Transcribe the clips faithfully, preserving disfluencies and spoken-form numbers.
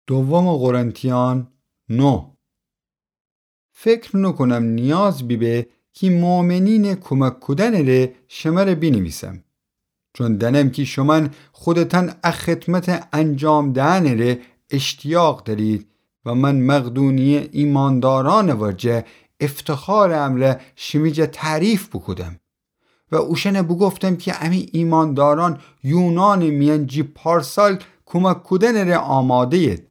دوم قرنتیان نه. فکر نوکونم نیاز بیبه کی مؤمنینٚ کومک کودنٚ ره شمره بینیویسم. چون دأنم کی شومأن خودتأن ا خدمتٚ انجام دئنٚ ره اشتیاق دأرید و من مقدونیه ایماندارأنٚ ورجه افتخارٚ امرأ شیمی جا تعریف بوکودم. و اوشأنه بوگفتم کی امی ایماندارأن یونانٚ میأن جی پارسال کومک کودنٚ ره آماده‌ید.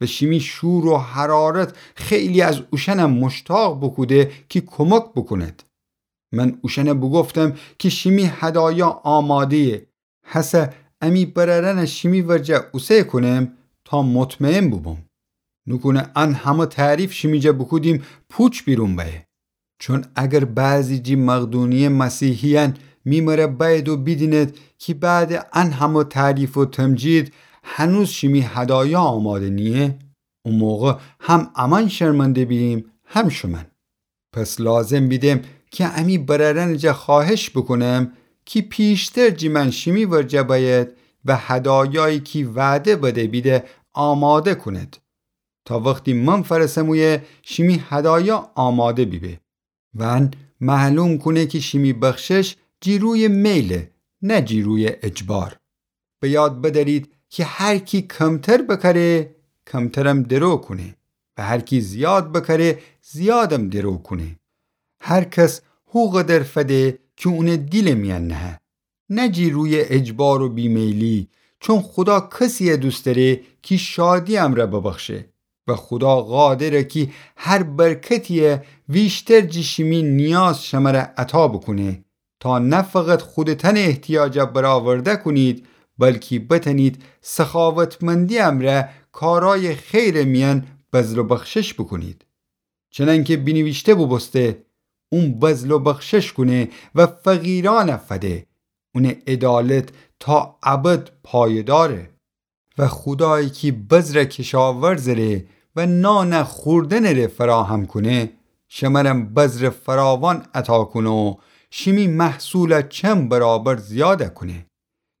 و شیمی شور و حرارت خیلی از اوشأنم مشتاق بوکوده کی کومک بوکوند. من اوشأنه بوگفتم کی شیمی هدایا آماده‌یه، هسه امی برأرأنه شیمی ورجه اوسه کونم تا مطمئن بوبوم. نوکونه ان همه تعریف شیمی جا بوکودیم پوچ بیرون بأیه. چون اگر بعضی جی مقدونیه مسیحیأن می مره بأید و بیدینید کی بعدٚ ان همه تعریف و تمجید هنوز شیمی هدایا آماده نییه، او موقع هم امأن شرمنده بییم هم شومأن. پس لازم بیدم کی امی برأرأنٚ جا خوأهش بوکونم کی پیشتر جی مأن شیمی ورجه بأید و هدایایی کی وعده بده بیده آماده کونید، تا وختی من فأرسم اویه شیمی هدایا آماده بیبه. و ان معلوم کونه کی شیمی بخشش جی رویٚ میله، نه جی رویٚ اجبار. به یاد بدأرید کی هر کی کمتر بکأره، کمترم درو کونه و هر کی زیاد بکأره، زیادم درو کونه. هر کس هو قدر فده کی اونٚ دیلٚ میأن نهه، نه جی رویٚ اجبار و بیمیلی، چون خودا کسیه دوست دأره کی شادی امرأ ببخشه. و خودا قادره کی هر برکتیه ویشتر جی شیمی نیاز شمره عطا بوکونه، تا نه فقط خودتأنٚ احتیاجا برآورده کونید، بلکی بتأنید سخاوتمندی امرأ کارایٚ خیرٚ میأن بذل و بخشش بوکونید. چنأنکه بینیویشته بوبوسته، اون بذل و بخشش کونه و فقیرأنه فده، اونٚ عدالت تا ابد پایه‌داره. و خودایی کی بذرٚ کشاورزٚ ره و نانٚ خوردنٚ ره فراهم کونه، شمرم بذرٚ فراوان عطا کونه و شیمی محصوله چند برابر زیاده کونه،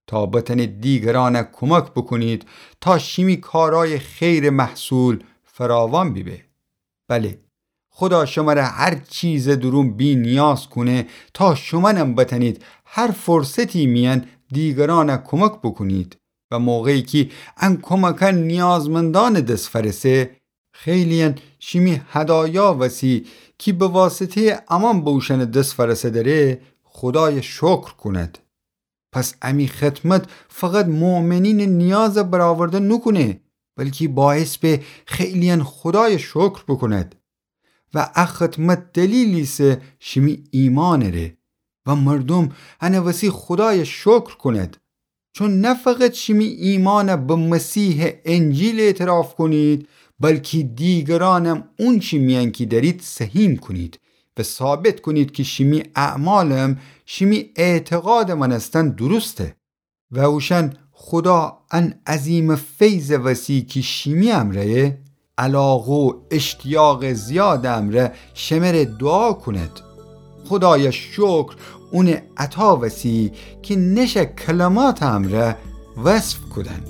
تا بتأنید دیگرأنه کومک بوکونید تا شیمی کارایٚ خیرٚ محصول فراوان بیبه. بله، خودا شمره هر چیزٚ دورون بینیاز کونه تا شومأنم بتأنید هر فرصتی میأن دیگرأنه کومک بوکونید. و موقعی کی ان کومکأن نیازمندأنٚ دس فأرسه، خیلی‌یأن شیمی هدایا وسی کی به واسطه‌یٚ امأن به اوشأنٚ دس فأرسه‌دره، خودایه شکر کونید. پس امی خدمت فقط مؤمنینٚ نیازه برآورده نوکونه، بلکی باعث به خیلی‌یأن خودایه شکر بوکونید. و ا خدمت دلیلیسه شیمی ایمانٚ ره و مردوم انٚ وسی خودایه شکر کونید. چون نه فقط شیمی ایمانه به مسیحٚ انجیل اعتراف کونید، بلکی دیگرأنم اونچی میأن کی دأرید سهیم کونید و ثابت کونید کی شیمی اعمالم شیمی اعتقادٚ مأنستن درسته. و اوشأن خودا ان عظیمٚ فیضٚ وسی کی شیمی امرأیه، علاقه و اشتیاقٚ زیادٚ امرأ شمره دوعا کونید. خودایه شکر اونٚ عطا وسی کی نشه کلماتٚ امرأ وصف کودن.